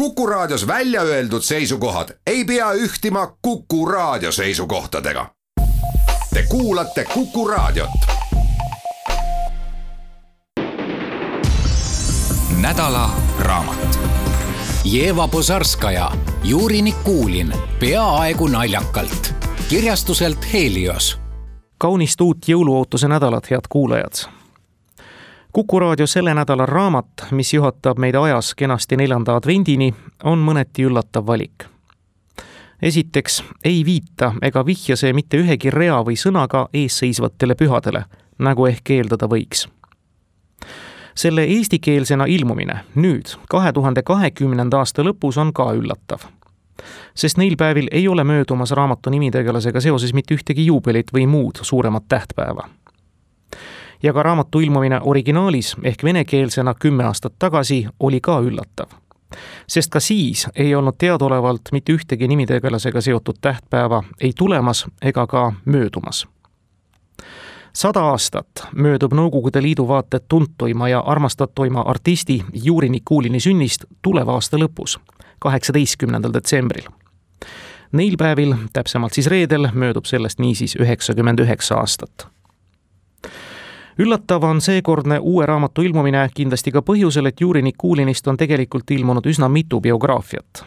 Kuku Raadios välja öeldud seisukohad ei pea ühtima Kuku Raadio seisukohtadega. Te kuulate Kuku Raadiot. Nädala raamat. Jeva Pozarskaja, Juri Nikulin, peaaegu naljakalt. Kirjastuselt Helios. Kaunist uut jõuluootuse nädalat, head kuulajad. Kuku Raadio selle nädala raamat, mis juhatab meid ajas kenasti 4. advendini, on mõneti üllatav valik. Esiteks ei viita ega vihja see mitte ühegi rea või sõnaga eesseisvatele pühadele, nagu ehk eeldada võiks. Selle eestikeelsena ilmumine nüüd 2020. aasta lõpus on ka üllatav. Sest neil päevil ei ole möödumas raamatu nimitegelasega seoses mitte ühtegi juubelit või muud suuremat tähtpäeva. Ja ka raamatu ilmumine originaalis ehk venekeelsena 10 aastat tagasi oli ka üllatav. Sest ka siis ei olnud teadaolevalt mitte ühtegi nimitegelasega seotud tähtpäeva ei tulemas ega ka möödumas. 100 aastat möödub Nõukogude Liidu vaated tuntuima ja armastatuima artisti Juri Nikulini sünnist tuleva aasta lõpus, 18. detsembril. Neil päevil, täpsemalt siis reedel, möödub sellest niisiis 99 aastat. Üllatav on seekordne uue raamatu ilmumine kindlasti ka põhjusel, et Juri Nikulinist on tegelikult ilmunud üsna mitu biograafiat.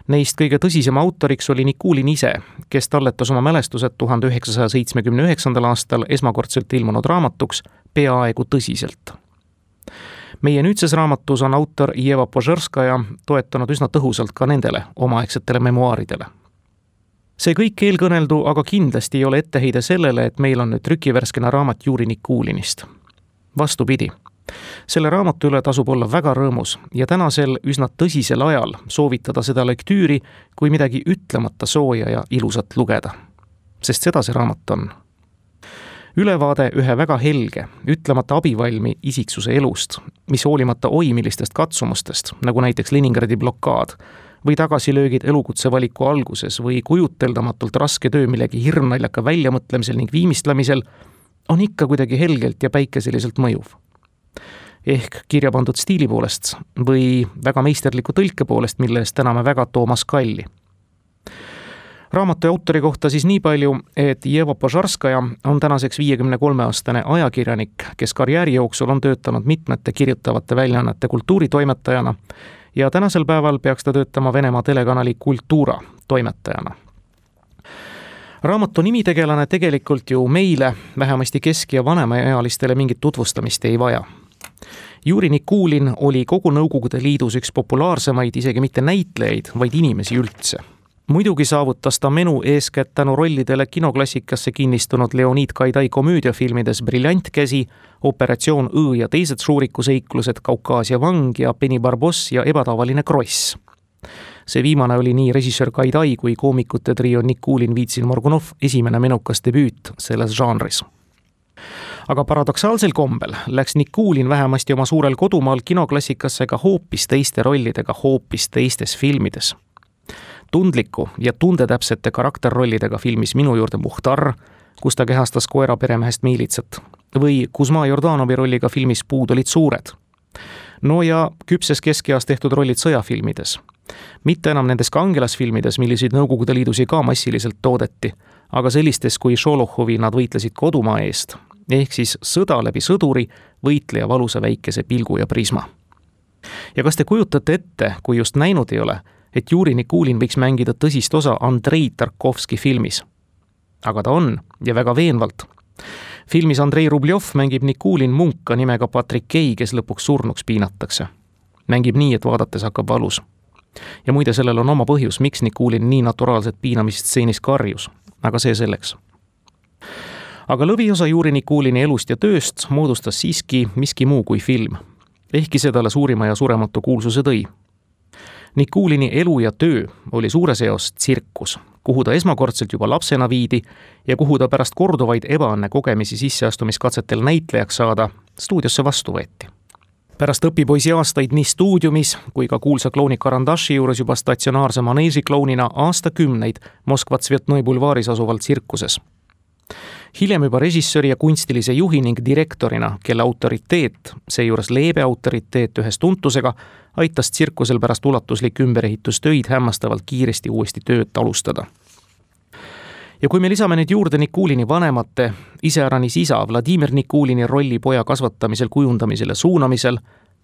Neist kõige tõsisema autoriks oli Nikulin ise, kes talletas oma mälestused 1979. aastal esmakordselt ilmunud raamatuks Peaaegu tõsiselt. Meie nüüdses raamatus on autor Jeva Pozarskaja toetanud üsna tõhusalt ka nendele omaaegsetele memuaaridele. See kõik eelkõneldu aga kindlasti ei ole etteheide sellele, et meil on nüüd trükivärskena raamat Juri Nikulinist. Vastupidi, selle raamatu üle tasub olla väga rõõmus ja tänasel üsna tõsisel ajal soovitada seda lektüüri kui midagi ütlemata sooja ja ilusat lugeda. Sest seda see raamat on. Ülevaade ühe väga helge, ütlemata abivalmi isiksuse elust, mis hoolimata millistest katsumustest, nagu näiteks Leningradi blokaad, või tagasilöögid elukutsevaliku alguses või kujuteldamatult raske töö millegi hirmnaljaka väljamõtlemisel ning viimistlemisel, on ikka kuidagi helgelt ja päikeseliselt mõjuv. Ehk kirja pandud stiili poolest või väga meisterliku tõlke poolest, mille eest täname väga Toomas Kalli. Raamatu autori kohta siis nii palju, et Jeva Pozarskaja on tänaseks 53-aastane ajakirjanik, kes karjääri jooksul on töötanud mitmete kirjutavate väljaannete kultuuritoimetajana ja tänasel päeval peaks ta töötama Venemaa telekanali Kultuura toimetajana. Raamatu nimitegelane tegelikult ju meile, vähemasti kesk- ja vanemaealistele mingit tutvustamist ei vaja. Juri Nikulin oli kogu Nõukogude Liidus üks populaarsemaid isegi mitte näitlejaid, vaid inimesi üldse. Muidugi saavutas ta menu eeskätt tänu rollidele kinoklassikasse kinnistunud Leonid Gaidai komöödiafilmides Briljantkäsi, Operatsioon Õ ja teised šuurikuseiklused, Kaukaasia vang ja Penny Barboss ja ebatavaline kross. See viimane oli nii režissöör Gaidai kui koomikute trio Nikulin, Vitsin, Morgunov esimene menukas debüüt selles žanris. Aga paradoksaalsel kombel läks Nikulin vähemasti oma suurel kodumaal kinoklassikasse ka hoopis teiste rollidega hoopis teistes filmides. Tundliku ja tundetäpsete karakterrollidega filmis Minu juurde Muhtar, kus ta kehastas koera peremehest Miilitsat, või Kuzma Jordanovi rolliga filmis Puud olid suured. No ja küpses keskeas tehtud rollid sõjafilmides. Mitte enam nendes kangelasfilmides, milliseid Nõukogude Liidus ka massiliselt toodeti, aga sellistes kui Šolohovi nad võitlesid kodumaa eest, ehk siis sõda läbi sõduri, võitleja valusa väikese pilgu ja prisma. Ja kas te kujutate ette, kui just näinud ei ole, et Juri Nikulin võiks mängida tõsist osa Andrei Tarkovski filmis? Aga ta on, ja väga veenvalt. Filmis Andrei Rubljov mängib Nikulin munka nimega Patrikei, kes lõpuks surnuks piinatakse. Mängib nii, et vaadates hakkab valus. Ja muide, sellel on oma põhjus, miks Nikulin nii naturaalset piinamist stseenis karjus, aga see selleks. Aga lõviosa Juri Nikulini elust ja tööst moodustas siiski miski muu kui film, ehkki see talle suurima ja surematu kuulsuse tõi. Nikulini elu ja töö oli suures eos tsirkus, kuhu ta esmakordselt juba lapsena viidi ja kuhu ta pärast korduvaid ebaõnne kogemisi sisseastumiskatsetel näitlejaks saada stuudiosse vastu võeti. Pärast õpipoisi aastaid nii stuudiumis kui ka kuulsa klouni Karandaši juures juba statsionaarse maneeži klounina aastakümneid Moskva Tsvetnoi bulvaaris asuval tsirkuses. Hiljem juba režissööri ja kunstilise juhi ning direktorina, kelle autoriteet, seejuures leebe autoriteet ühes tuntusega, aitas tsirkusel pärast ulatuslik ümberehitustöid hämmastavalt kiiresti uuesti tööd alustada. Ja kui me lisame nüüd juurde Nikulini vanemate, iseäranis isa Vladimir Nikulini rolli poja kasvatamisel, kujundamisel ja suunamisel,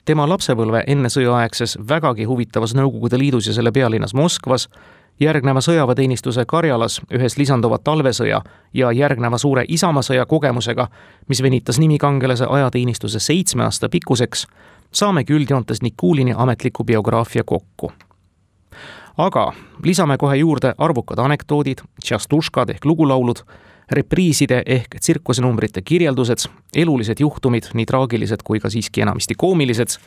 tema lapsepõlve enne sõjaaegses vägagi huvitavas Nõukogude Liidus ja selle pealinnas Moskvas, järgneva sõjaväeteenistuse Karjalas ühes lisanduva talvesõja ja järgneva suure Isamaasõja kogemusega, mis venitas nimikangelase ajateenistuse 7 aasta pikkuseks, saamegi üldjoontes Nikulini ametliku biograafia kokku. Aga lisame kohe juurde arvukad anekdoodid, tšastuškad ehk lugulaulud, repriiside ehk tsirkusenumbrite kirjeldused, elulised juhtumid, nii traagilised kui ka siiski enamisti koomilised.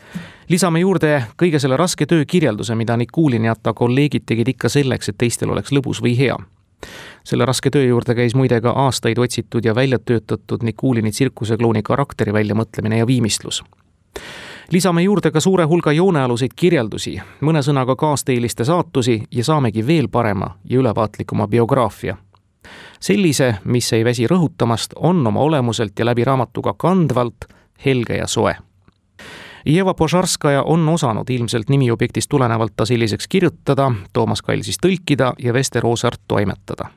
Lisame juurde kõige selle raske töö kirjelduse, mida Nikulin ja ta kolleegid tegid ikka selleks, et teistel oleks lõbus või hea. Selle raske töö juurde käis muide ka aastaid otsitud ja välja töötatud Nikulini tsirkuseklooni karakteri väljamõtlemine ja viimistlus. Lisame juurde ka suure hulga joonealuseid kirjeldusi, mõne sõnaga kaasteeliste saatusi ja saamegi veel parema ja ülevaatlikuma biograafia. Sellise, mis ei väsi rõhutamast, on oma olemuselt ja läbi raamatuga kandvalt, helge ja soe. Jeva Požarskaja on osanud ilmselt nimiobjektist tulenevalt ta selliseks kirjutada, Toomas Kall siis tõlkida ja Vester Oosart toimetada.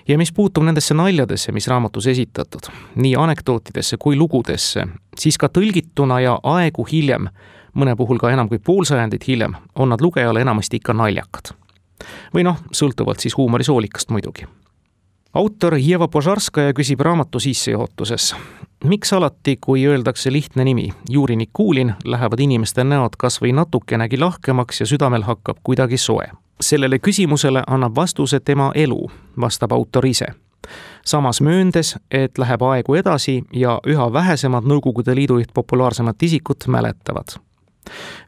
Ja mis puutub nendesse naljadesse, mis raamatus esitatud, nii anekdootidesse kui lugudesse, siis ka tõlgituna ja aegu hiljem, mõne puhul ka enam kui poolsajandit hiljem, on nad lugejale enamasti ikka naljakad. Või sõltuvalt siis huumorisoolikast muidugi. Autor Jeva Požarskaja küsib raamatu sissejuhatuses. Miks alati, kui öeldakse lihtne nimi, Juri Nikulin, lähevad inimeste näod kas või natukenegi lahkemaks ja südamel hakkab kuidagi soe? Sellele küsimusele annab vastuse tema elu, vastab autor ise. Samas mööndes, et läheb aegu edasi ja üha vähesemad Nõukogude Liidu üht populaarsemat isikut mäletavad.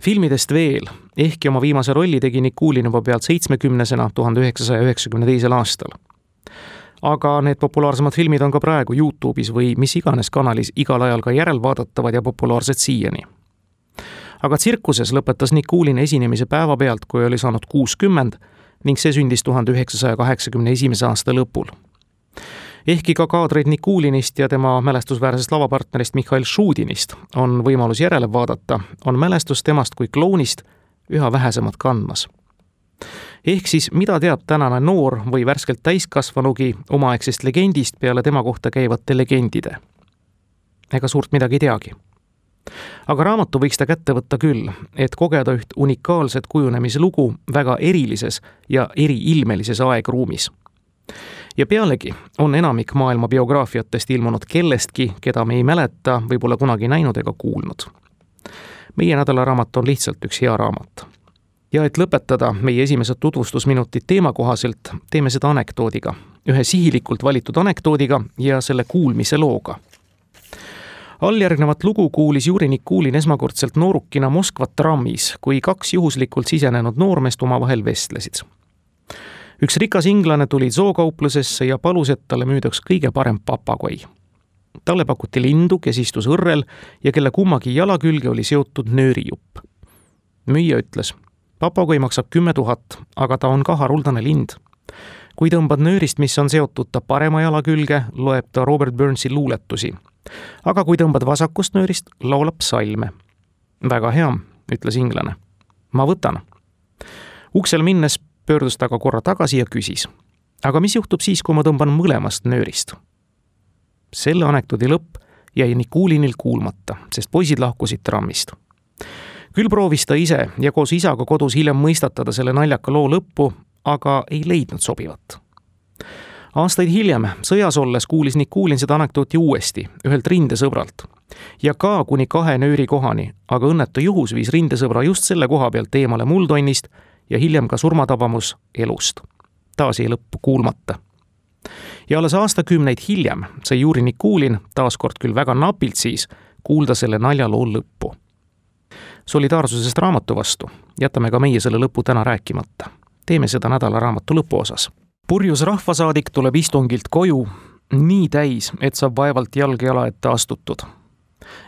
Filmidest veel, ehkki oma viimase rolli tegi Nikulin juba pealt 70-sena 1992. aastal. Aga need populaarsemad filmid on ka praegu YouTube'is või mis iganes kanalis igal ajal ka järelvaadatavad ja populaarsed siiani. Aga tsirkuses lõpetas Nikulin esinemise päeva pealt, kui oli saanud 60 ning see sündis 1981. aasta lõpul. Ehkki ka kaadreid Nikulinist ja tema mälestusväärsest lavapartnerist Mihhail Šudinist on võimalus järele vaadata, on mälestus temast kui klounist üha vähesemad kandmas. Ehk siis, mida teab tänane noor või värskelt täiskasvanugi omaaegsest legendist peale tema kohta käivate legendide? Ega suurt midagi teagi. Aga raamatu võiks ta kätte võtta küll, et kogeda üht unikaalset kujunemise lugu väga erilises ja eriilmelises aegruumis. Ja pealegi on enamik maailma biograafiatest ilmunud kellestki, keda me ei mäleta või pole kunagi näinud ega kuulnud. Meie nädalaraamat on lihtsalt üks hea raamat. Ja et lõpetada meie esimesed tutvustusminutid teema kohaselt, teeme seda anekdoodiga, ühe sihilikult valitud anekdoodiga ja selle kuulmise looga. Alljärgnevat lugu kuulis Juri Nikulin esmakordselt noorukina Moskva trammis, kui 2 juhuslikult sisenenud noormeest omavahel vestlesid. Üks rikas inglane tuli zookauplusesse ja palus, et talle müüdaks kõige parem papagoi. Talle pakuti lindu, kes istus õrrel ja kelle kummagi jala külge oli seotud nöörijupp. Müüja ütles, papagoi maksab 10 000, aga ta on ka haruldane lind. Kui tõmbad nöörist, mis on seotud ta parema jala külge, loeb ta Robert Burnsi luuletusi. Aga kui tõmbad vasakust nöörist, laulab salme. Väga hea, ütles inglane. Ma võtan. Uksel minnes pöördus ta ka korra tagasi ja küsis. Aga mis juhtub siis, kui ma tõmban mõlemast nöörist? Selle anekdoodi lõpp jäi Nikulinil kuulmata, sest poisid lahkusid trammist. Küll proovis ta ise ja koos isaga kodus hiljem mõistatada selle naljaka loo lõppu, aga ei leidnud sobivat. Aastaid hiljem, sõjas olles, kuulis Nikulin seda anekdooti uuesti, ühelt rindesõbralt. Ja ka kuni 2 nööri kohani, aga õnnetu juhus viis rindesõbra just selle koha pealt eemale muldonnist ja hiljem ka surmatabamus elust. Taas jäi lõppu kuulmata. Ja alles aastakümneid hiljem sai Juri Nikulin, taaskord küll väga napilt siis, kuulda selle naljaloo lõppu. Solidaarsusest raamatu vastu jätame ka meie selle lõpu täna rääkimata. Teeme seda nädala raamatu lõpuosas. Purjus rahvasaadik tuleb istungilt koju, nii täis, et saab vaevalt jalg jala ette astutud.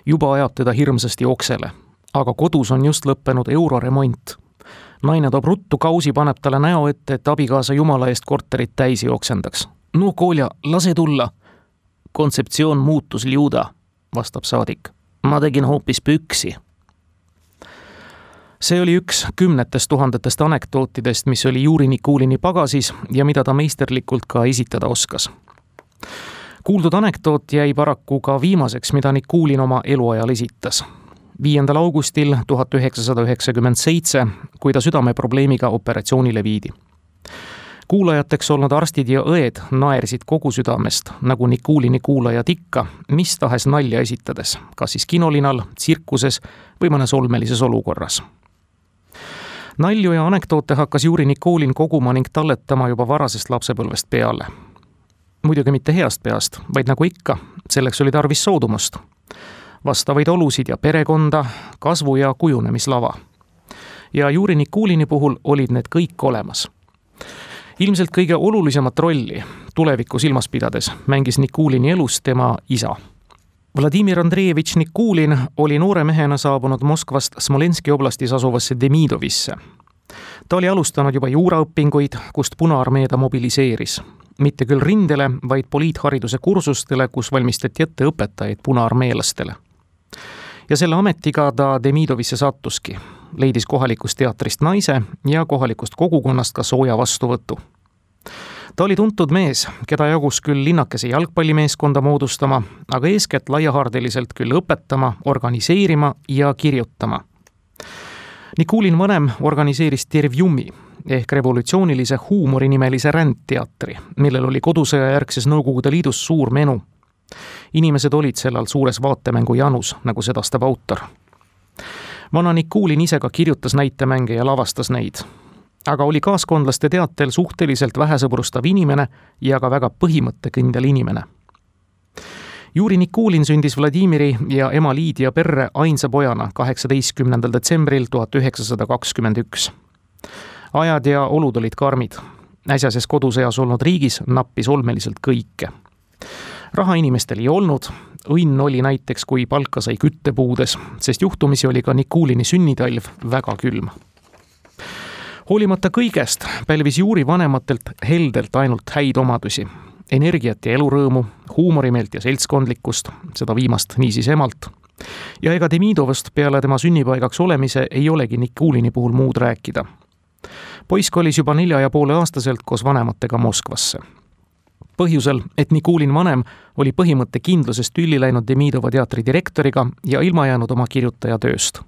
Juba ajab teda hirmsasti oksele, aga kodus on just lõppenud euroremont. Naine toob ruttu kausi, paneb talle näo ette, et abikaasa jumala eest korterit täisi oksendaks. No Kolja, lase tulla. Kontseptsioon muutus liuda, vastab saadik. Ma tegin hoopis püksi. See oli üks 10 000 anekdootidest, mis oli Juri Nikulini pagasis ja mida ta meisterlikult ka esitada oskas. Kuuldud anekdoot jäi paraku ka viimaseks, mida Nikulin oma eluajal esitas. 5. augustil 1997, kui ta südameprobleemiga operatsioonile viidi. Kuulajateks olnud arstid ja õed naersid kogu südamest, nagu Nikulini kuulajad ikka, mis tahes nalja esitades, kas siis kinolinal, tsirkuses või mõnes olmelises olukorras. Nalju ja anekdoote hakkas Juri Nikulin koguma ning talletama juba varasest lapsepõlvest peale. Muidugi mitte heast peast, vaid nagu ikka, selleks oli tarvis soodumust. Vastavaid olusid ja perekonda, kasvu- ja kujunemislava. Ja Juri Nikulini puhul olid need kõik olemas. Ilmselt kõige olulisemat rolli tulevikku silmas pidades mängis Nikulini elus tema isa. Vladimir Andreevitš Nikulin oli noore mehena saabunud Moskvast Smolenski oblastis asuvasse Demidovisse. Ta oli alustanud juba juuraõpinguid, kust Punaarmee ta mobiliseeris. Mitte küll rindele, vaid poliithariduse kursustele, kus valmistati ette õpetajaid punaarmeelastele. Ja selle ametiga ta Demidovisse sattuski. Leidis kohalikust teatrist naise ja kohalikust kogukonnast ka sooja vastuvõtu. Ta oli tuntud mees, keda jagus küll linnakese jalgpallimeeskonda moodustama, aga eeskätt laiahaardeliselt küll õpetama, organiseerima ja kirjutama. Nikulin vanem organiseeris Tervjumi ehk revolutsioonilise huumori nimelise rändteatri, millel oli kodusõja järgses Nõukogude Liidus suur menu. Inimesed olid sellal suures vaatemängu janus, nagu sedastab autor. Vana Nikulin ise ka kirjutas näitemänge ja lavastas neid. Aga oli kaaskondlaste teatel suhteliselt vähesõbrustav inimene ja ka väga põhimõttekindel inimene. Juri Nikulin sündis Vladimiri ja ema Liidia perre ainsa pojana 18. detsembril 1921. Ajad ja olud olid karmid. Äsjases kodusõjas olnud riigis nappis olmeliselt kõike. Raha inimestel ei olnud, õnn oli näiteks, kui palka sai küttepuudes, sest juhtumisi oli ka Nikulini sünnitalv väga külm. Hoolimata kõigest pälvis Juri vanematelt heldelt ainult häid omadusi, energiat ja elurõõmu, huumorimeelt ja seltskondlikkust, seda viimast niisiis emalt. Ja ega Demidovast peale tema sünnipaigaks olemise ei olegi Nikulini puhul muud rääkida. Poiss kolis juba 4,5-aastaselt koos vanematega Moskvasse. Põhjusel, et Nikulin vanem oli põhimõtte kindlusest tülli läinud Demidova teatri direktoriga ja ilma jäänud oma kirjutaja tööst.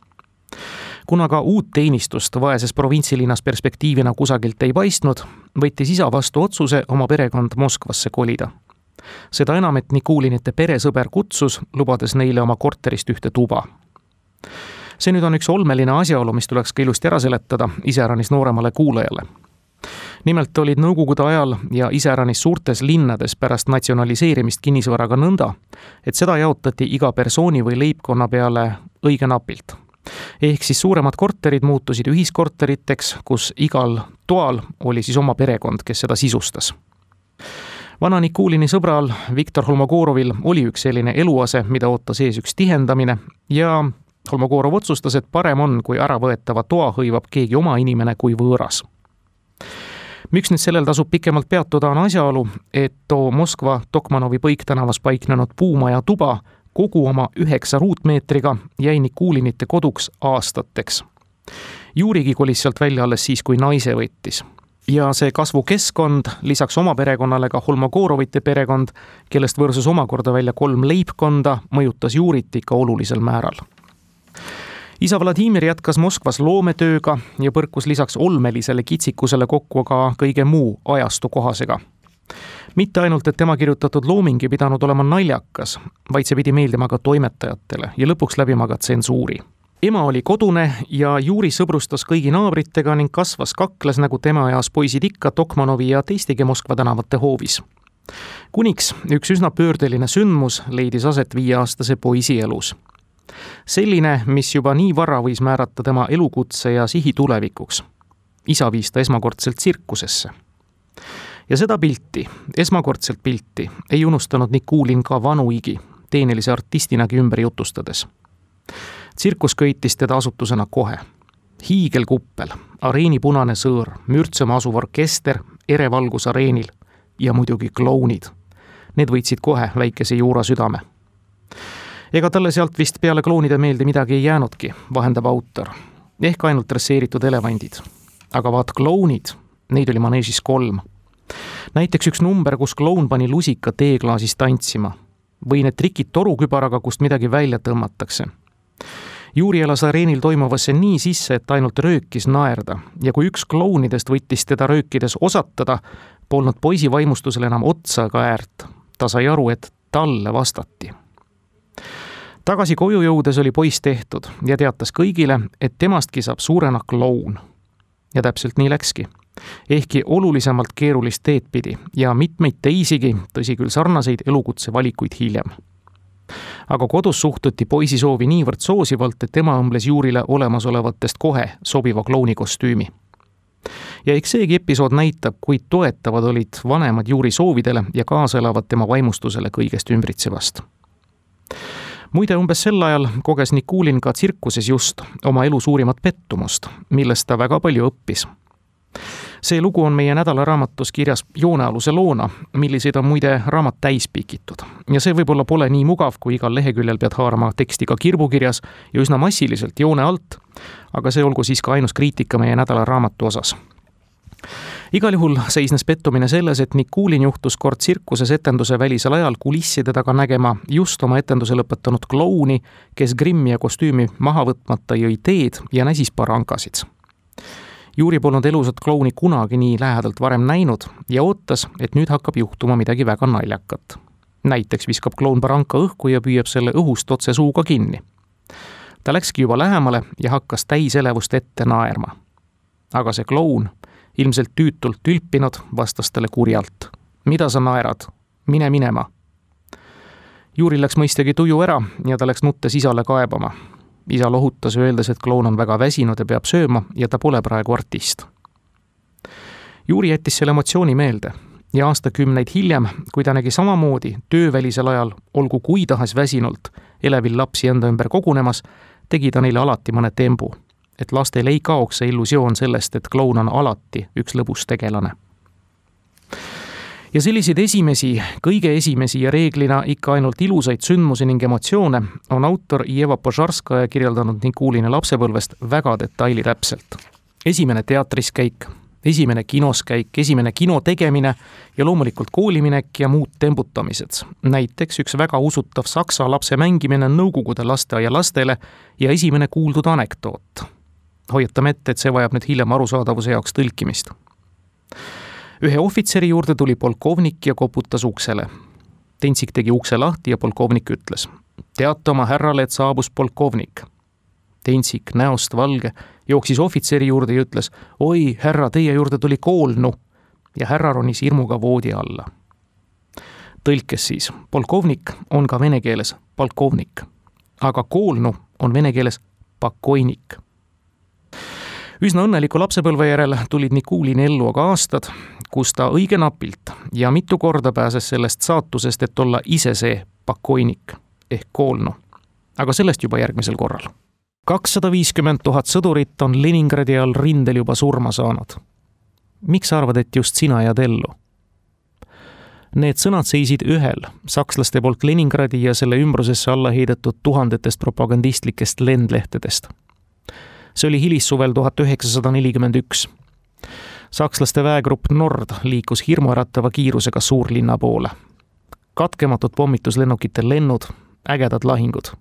Kuna ka uut teenistust vaeses provintsilinnas perspektiivina kusagilt ei paistnud, võttis isa vastu otsuse oma perekond Moskvasse kolida. Seda enam, et Nikulinite peresõber kutsus, lubades neile oma korterist ühte tuba. See nüüd on üks olmeline asjaolu, mis tuleks ka ilusti ära seletada iseäranis nooremale kuulajale. Nimelt olid nõukogude ajal ja iseäranis suurtes linnades pärast natsionaliseerimist kinnisvaraga nõnda, et seda jaotati iga persooni või leibkonna peale õige napilt. Ehk siis suuremad korterid muutusid ühiskorteriteks, kus igal toal oli siis oma perekond, kes seda sisustas. Vana Nikulini sõbral Viktor Holmogorovil oli üks selline eluase, mida ootas ees üks tihendamine ja Holmogorov otsustas, et parem on, kui äravõetava toa hõivab keegi oma inimene kui võõras. Miks nüüd sellel tasub pikemalt peatuda on asjaolu, et too Moskva Tokmanovi Põiktänavas paiknenud puumaja tuba kogu oma 9 ruutmeetriga jäi Nikulinite koduks aastateks. Jurigi kolis sealt välja alles siis, kui naise võttis. Ja see kasvukeskkond, lisaks oma perekonnale ka Holmogorovite perekond, kellest võrsus omakorda välja 3 leibkonda, mõjutas Jurit ikka olulisel määral. Isa Vladimir jätkas Moskvas loometööga ja põrkus lisaks olmelisele kitsikusele kokku ka kõige muu ajastu kohasega. Mitte ainult, et tema kirjutatud looming ei pidanud olema naljakas, vaid see pidi meeldima ka toimetajatele ja lõpuks läbima ka tsensuuri. Ema oli kodune ja Juri sõbrustas kõigi naabritega ning kasvas kakles nagu tema eas poisid ikka Tokmanovi ja teistegi Moskva tänavate hoovis. Kuniks üks üsna pöördeline sündmus leidis aset 5-aastase poisi elus. Selline, mis juba nii vara võis määrata tema elukutse ja sihi tulevikuks. Isa viis ta esmakordselt tsirkusesse. Ja seda esmakordselt pilti, ei unustanud Nikulin ka vanuigi, teenilise artistinagi ümber jutustades. Tsirkus köitis teda asutusena kohe. Hiigelkuppel, areeni punane sõõr, mürtsema asuv orkester, erevalgus areenil, ja muidugi klounid. Need võitsid kohe väikese Juura südame. Ega talle sealt vist peale klounide meelde midagi ei jäänudki, vahendab autor. Ehk ainult dresseeritud elevandid. Aga vaat klounid, neid oli maneežis 3. Näiteks üks number, kus kloun pani lusika teeklaasis tantsima. Või need trikid torukübaraga, kust midagi välja tõmmatakse. Juuri elas areenil toimuvasse nii sisse, et ainult röökis naerda. Ja kui üks klounidest võttis teda röökides osatada, polnud poisi vaimustusel enam otsa ega äärt. Ta sai aru, et talle vastati. Tagasi koju jõudes oli poiss tehtud ja teatas kõigile, et temastki saab suurena kloun. Ja täpselt nii läkski. Ehkki olulisemalt keerulist teed pidi ja mitmeid teisigi, tõsi küll sarnaseid elukutse valikuid hiljem. Aga kodus suhtuti poisi soovi niivõrd soosivalt, et tema õmbles Juurile olemasolevatest kohe sobiva klouni kostüümi. Ja eks seegi episood näitab, kui toetavad olid vanemad Juuri soovidele ja kaasa elavad tema vaimustusele kõigest ümbritsevast. Muide, umbes sel ajal koges Nikulin ka tsirkuses just oma elu suurimat pettumust, millest ta väga palju õppis. See lugu on meie nädalaraamatus kirjas joonealuse loona, milliseid on muide raamat täis pikitud. Ja see võib-olla pole nii mugav, kui igal leheküljel pead haarama teksti ka kirbukirjas ja üsna massiliselt joone alt, aga see olgu siis ka ainus kriitika meie nädalaraamatu osas. Igal juhul seisnes pettumine selles, et Nikulin juhtus kord tsirkuses etenduse välisel ajal kulisside taga nägema just oma etenduse lõpetanud klouni, kes grimmi ja kostüümi maha võtmata jõi teed ja näsis parankasid. Juuri polnud elusat klouni kunagi nii lähedalt varem näinud ja ootas, et nüüd hakkab juhtuma midagi väga naljakat. Näiteks viskab kloun paranka õhku ja püüab selle õhust otse suuga kinni. Ta läkski juba lähemale ja hakkas täiselevust ette naerma. Aga see kloun, ilmselt tüütult tülpinud, vastas talle kurjalt. Mida sa naerad? Mine minema. Juuri läks mõistagi tuju ära ja ta läks nuttes isale kaebama. Isa lohutas öeldes, et kloun on väga väsinud ja peab sööma ja ta pole praegu artist. Juuri jättis selle emotsiooni meelde ja aastakümneid hiljem, kui ta nägi samamoodi töövälisel ajal, olgu kui tahas väsinult, elevil lapsi enda ümber kogunemas, tegi ta neile alati mõne tembu, et lastel ei kaoks see illusioon sellest, et kloun on alati üks lõbus tegelane. Ja selliseid kõige esimesi ja reeglina ikka ainult ilusaid sündmusi ning emotsioone on autor Jeva Požarskaja kirjeldanud Nikuline lapsepõlvest väga detailitäpselt. Esimene teatris käik, esimene kinos käik, esimene kino tegemine ja loomulikult kooliminek ja muud tembutamised. Näiteks üks väga usutav saksa lapse mängimine nõukogude lasteaia lastele ja esimene kuuldud anekdoot. Hoiatame ette, et see vajab nüüd hiljem arusaadavuse jaoks tõlkimist. Ühe ohvitseri juurde tuli polkovnik ja koputas uksele. Tentsik tegi ukse lahti ja polkovnik ütles: teata oma härrale, et saabus polkovnik. Tentsik, näost valge, jooksis ohvitseri juurde ja ütles: oi, härra, teie juurde tuli koolnu. Ja härra ronis hirmuga voodi alla. Tõlkes siis, polkovnik on ka vene keeles polkovnik, aga koolnu on vene keeles pakoinik. Üsna õnneliku lapsepõlve järel tulid Nikulin ellu aga aastad, kus ta õige napilt ja mitu korda pääses sellest saatusest, et olla ise see pakoinik ehk koolnu. Aga sellest juba järgmisel korral. 250 000 sõdurit on Leningradi all rindel juba surma saanud. Miks arvad, et just sina jääd ellu? Need sõnad seisid ühel sakslaste poolt Leningradi ja selle ümbrusesse alla heidetud tuhandetest propagandistlikest lendlehtedest. See oli hilissuvel 1941. Sakslaste väegrupp Nord liikus hirmuäratava kiirusega suurlinna poole. Katkematud pommituslennukite lennud, ägedad lahingud.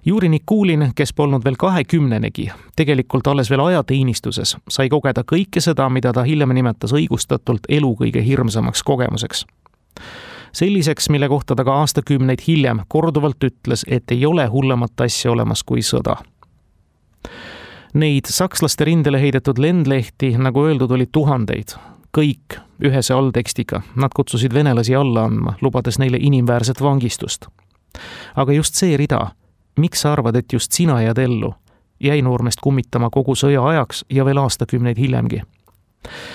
Juuri Nikulin, kes polnud veel 20-negi, tegelikult alles veel ajateenistuses, sai kogeda kõike seda, mida ta hiljem nimetas õigustatult elu kõige hirmsamaks kogemuseks. Selliseks, mille kohta ta ka aastakümneid hiljem korduvalt ütles, et ei ole hullemat asja olemas kui sõda. Neid sakslaste rindele heidetud lendlehti, nagu öeldud, oli tuhandeid. Kõik ühese alltekstiga. Nad kutsusid venelasi alla andma, lubades neile inimväärset vangistust. Aga just see rida, miks sa arvad, et just sina jääd ellu, jäi noormest kummitama kogu sõja ajaks ja veel aastakümneid hiljemgi.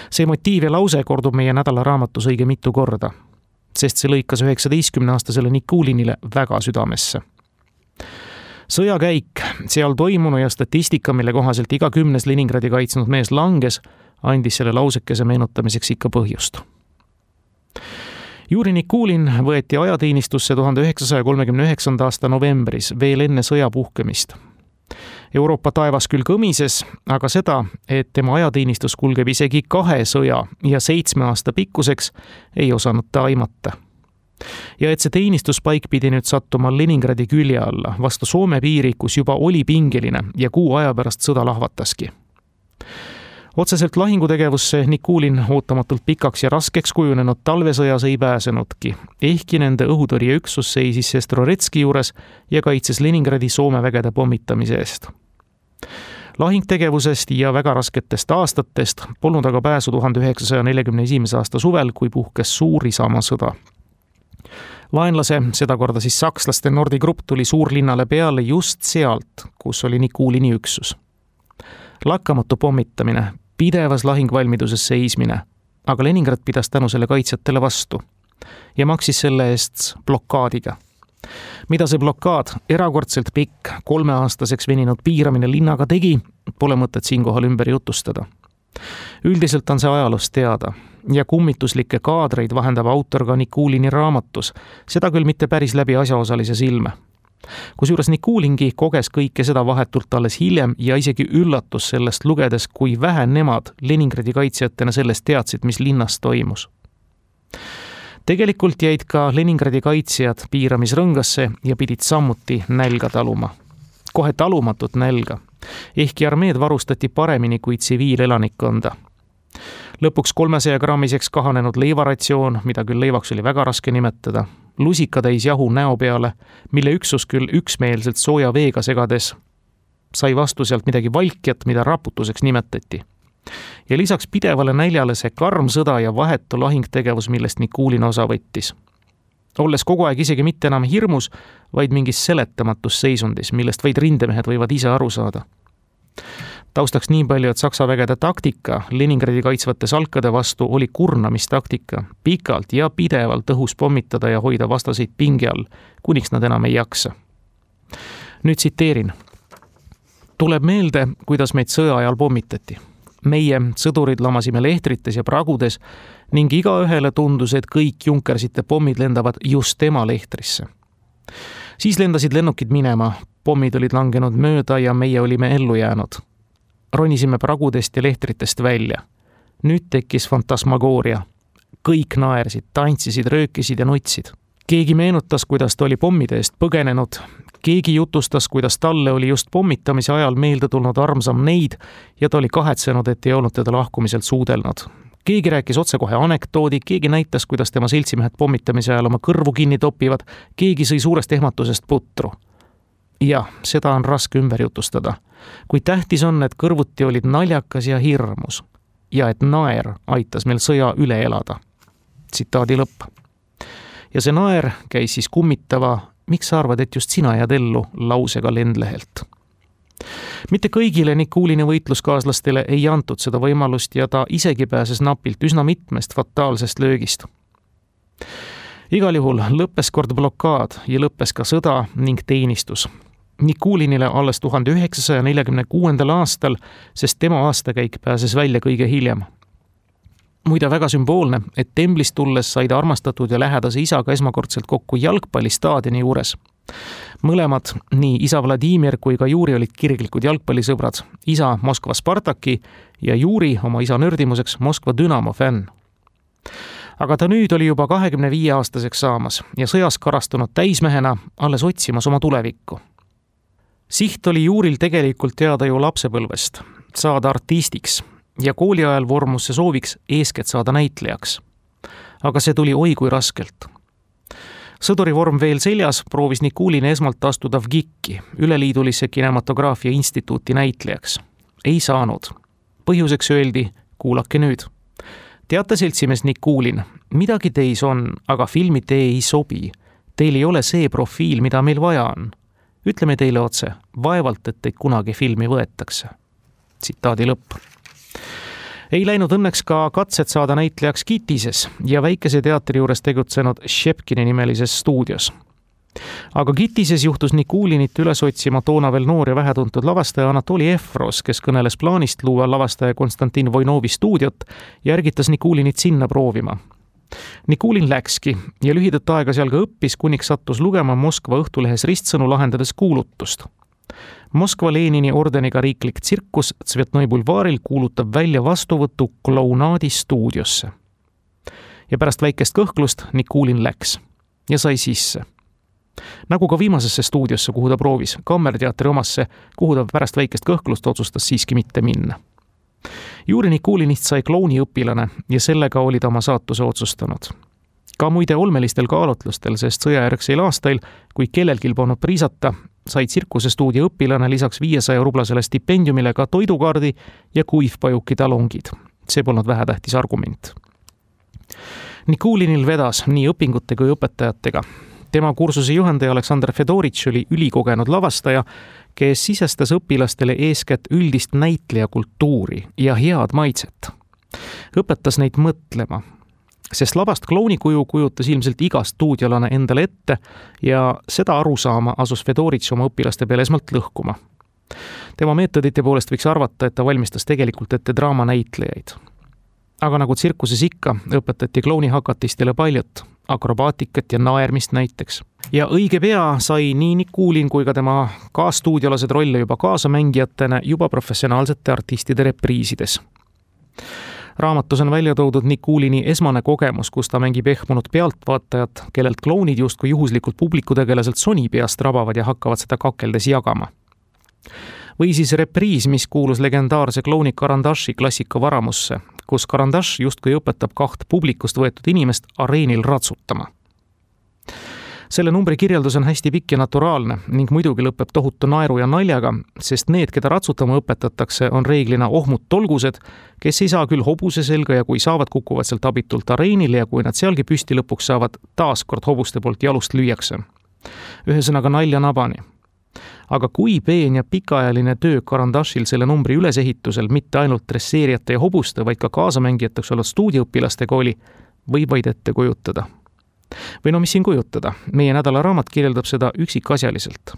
See motiiv ja lause kordub meie nädalaraamatus õige mitu korda, sest see lõikas 19-aastasele Nikulinile väga südamesse. Sõjakäik, seal toimunu ja statistika, mille kohaselt iga 10 Leningradi kaitsnud mees langes, andis selle lausekese meenutamiseks ikka põhjust. Juri Nikulin võeti ajateenistusse 1939. aasta novembris, veel enne sõja puhkemist. Euroopa taevas küll kõmises, aga seda, et tema ajateenistus kulgeb isegi 2 sõja ja 7 aasta pikkuseks, ei osanud ta aimata. Ja et see teenistuspaik pidi nüüd sattuma Leningradi külje alla, vastu Soome piiri, kus juba oli pingeline ja kuu aja pärast sõda lahvataski. Otseselt lahingutegevusse Nikulin ootamatult pikaks ja raskeks kujunenud talvesõjas ei pääsenudki, ehkki nende õhutõrjeüksus seisis Sestroretski juures ja kaitses Leningradi Soome vägede pommitamise eest. Lahingtegevusest ja väga rasketest aastatest polnud aga pääsu 1941. aasta suvel, kui puhkes suur Isamaasõda. Vaenlase, sedakorda siis sakslaste Nordi grupp tuli suurlinnale peale just sealt, kus oli Nikulini üksus. Lakkamatu pommitamine, pidevas lahingvalmiduses seismine, aga Leningrad pidas tänu selle kaitsjatele vastu ja maksis selle eest blokaadiga. Mida see blokaad, erakordselt pikk, 3-aastaseks veninud piiramine linnaga tegi, pole mõtet siinkohal ümber jutustada. Üldiselt on see ajaloost teada ja kummituslikke kaadreid vahendab autor ka Nikulini raamatus, seda küll mitte päris läbi asjaosalise silme. Kusjuures Nikulingi koges kõike seda vahetult alles hiljem ja isegi üllatus sellest lugedes, kui vähe nemad Leningradi kaitsjatena sellest teadsid, mis linnas toimus. Tegelikult jäid ka Leningradi kaitsjad piiramisrõngasse ja pidid sammuti nälga taluma. Kohe talumatut nälga, ehkki armeed varustati paremini kui tsiviilelanikkonda. Lõpuks 300-grammiseks kahanenud leivaratsioon, mida küll leivaks oli väga raske nimetada, lusikatäis jahu näo peale, mille üksus küll üksmeelselt sooja veega segades sai vastu sealt midagi valkjat, mida raputuseks nimetati. Ja lisaks pidevale näljale see karm sõda ja vahetu lahingtegevus, millest Nikulin osa võttis. Olles kogu aeg isegi mitte enam hirmus, vaid mingis seletamatus seisundis, millest vaid rindemehed võivad ise aru saada. Taustaks nii palju, et Saksa vägede taktika Leningradi kaitsvate salkade vastu oli kurnamistaktika, pikalt ja pidevalt õhus pommitada ja hoida vastaseid pinge all, kuniks nad enam ei jaksa. Nüüd tsiteerin. Tuleb meelde, kuidas meid sõja ajal pommitati. Meie sõdurid lamasime lehtrites ja pragudes ning igaühele tundus, et kõik junkersite pommid lendavad just tema lehtrisse. Siis lendasid lennukid minema, pommid olid langenud mööda ja meie olime ellu jäänud. Ronisime pragudest ja lehtritest välja. Nüüd tekkis fantasmagooria. Kõik naersid, tantsisid, röökisid ja nutsid. Keegi meenutas, kuidas ta oli pommide eest põgenenud. Keegi jutustas, kuidas talle oli just pommitamise ajal meelde tulnud armsam neid ja ta oli kahetsenud, et ei olnud teda lahkumiselt suudelnud. Keegi rääkis otsekohe anekdoodi, keegi näitas, kuidas tema seltsimehed pommitamise ajal oma kõrvu kinni topivad, keegi sõi suurest ehmatusest putru. Ja, seda on raske ümber jutustada. Kui tähtis on, et kõrvuti olid naljakas ja hirmus ja et naer aitas meil sõja üle elada. Tsitaadi lõpp. Ja see naer käis siis kummitava, miks sa arvad, et just sina jääd ellu lausega lendlehelt. Mitte kõigile Nikulini võitluskaaslastele ei antud seda võimalust ja ta isegi pääses napilt üsna mitmest fataalsest löögist. Igal juhul lõppes kord blokaad ja lõppes ka sõda ning teenistus. Nikulinile alles 1946. aastal, sest tema aastakäik pääses välja kõige hiljem. Muide väga sümboolne, et temblist tulles said armastatud ja lähedase isaga esmakordselt kokku jalgpallistaadioni juures. Mõlemad, nii isa Vladimir kui ka Juri olid kirglikud jalgpallisõbrad, isa Moskva Spartaki ja Juri oma isa nördimuseks Moskva Dünamo fänn. Aga ta nüüd oli juba 25-aastaseks saamas ja sõjas karastunud täismehena alles otsimas oma tulevikku. Siht oli Juril tegelikult teada ju lapsepõlvest, saada artistiks ja kooli ajal vormus see sooviks eeskätt saada näitlejaks. Aga see tuli oi kui raskelt. Sõdurivorm veel seljas proovis Nikulin esmalt astuda VGIK-i, Üleliidulisse kinematograafia instituuti näitlejaks. Ei saanud. Põhjuseks öeldi, kuulake nüüd. Teate seltsimees Nikulin, midagi teis on, aga filmi tee ei sobi. Teil ei ole see profiil, mida meil vaja on. Ütleme teile otse, vaevalt, et teid kunagi filmi võetakse. Tsitaadi lõpp. Ei läinud õnneks ka katsed saada näitlejaks Kitises ja väikese teatri juures tegutsenud Shepkini nimelises stuudios. Aga Kitises juhtus Nikulinit üles otsima toona veel noor ja vähetuntud lavastaja Anatoli Efros, kes kõneles plaanist luua lavastaja Konstantin Voinovi stuudiot ja ärgitas Nikulinit sinna proovima. Nikulin läkski ja lühidat aega seal ka õppis, kuniks sattus lugema Moskva Õhtulehes ristsõnu lahendades kuulutust. Moskva Lenini ordeniga riiklik tsirkus Tsvetnoi bulvaaril kuulutab välja vastuvõtu klounaadi stuudiosse. Ja pärast väikest kõhklust Nikulin läks ja sai sisse. Nagu ka viimasesse stuudiosse, kuhu ta proovis, Kammerteatri omasse, kuhu ta pärast väikest kõhklust otsustas siiski mitte minna. Juri Nikulinist sai klouniõpilane ja sellega oli ta oma saatuse otsustanud. Ka muide olmelistel kaalutlustel, sest sõjajärgseil aastail, kui kellelgi polnud priisata, sai tsirkusestuudio õpilane lisaks 500 rublasele stipendiumile ka toidukaardi ja kuivpajuki talongid. See polnud vähetähtis argument. Nikulinil vedas nii õpingute kui õpetajatega. Tema kursuse juhendaja Aleksandr Fedoritš oli ülikogenud lavastaja, kes sisestas õpilastele eeskätt üldist näitlejakultuuri ja head maitset. Õpetas neid mõtlema, sest labast klounikuju kujutas ilmselt iga stuudiolane endale ette ja seda arusaama asus Fedoritš oma õpilaste peale esmalt lõhkuma. Tema meetodite poolest võiks arvata, et ta valmistas tegelikult ette draamanäitlejaid. Aga nagu tsirkuses ikka, õpetati klounihakatistele paljut, akrobaatikat ja naermist näiteks. Ja õige pea sai nii Nikulin kui ka tema kaastuudiolased rolle juba kaasamängijatena juba professionaalsete artistide repriisides. Raamatus on välja toodud Nikulini esmane kogemus, kus ta mängib ehmunud pealtvaatajat, kellelt klounid justkui juhuslikult publikutegelaselt soni peast rabavad ja hakkavad seda kakeldes jagama. Või siis repriis, mis kuulus legendaarse klouni Karandashi klassika varamusse, kus Karandash justkui õpetab 2 publikust võetud inimest areenil ratsutama. Selle numbri kirjeldus on hästi pikk ja naturaalne ning muidugi lõpeb tohutu naeru ja naljaga, sest need, keda ratsutama õpetatakse, on reeglina ohmud tolgused, kes ei saa küll hobuse selga ja kui saavad, kukuvad sealt abitult areenile ja kui nad sealgi püsti lõpuks saavad, taaskord hobuste poolt jalust lüüakse. Ühesõnaga nalja nabani. Aga kui peen ja pikaajaline töö Karandashil selle numbri ülesehitusel mitte ainult dresseerijate ja hobuste, vaid ka kaasamängijateks olnud stuudioõpilastega oli, võib vaid ette kujutada. Või no mis siin kujutada, meie nädala raamat kirjeldab seda üksikasjaliselt.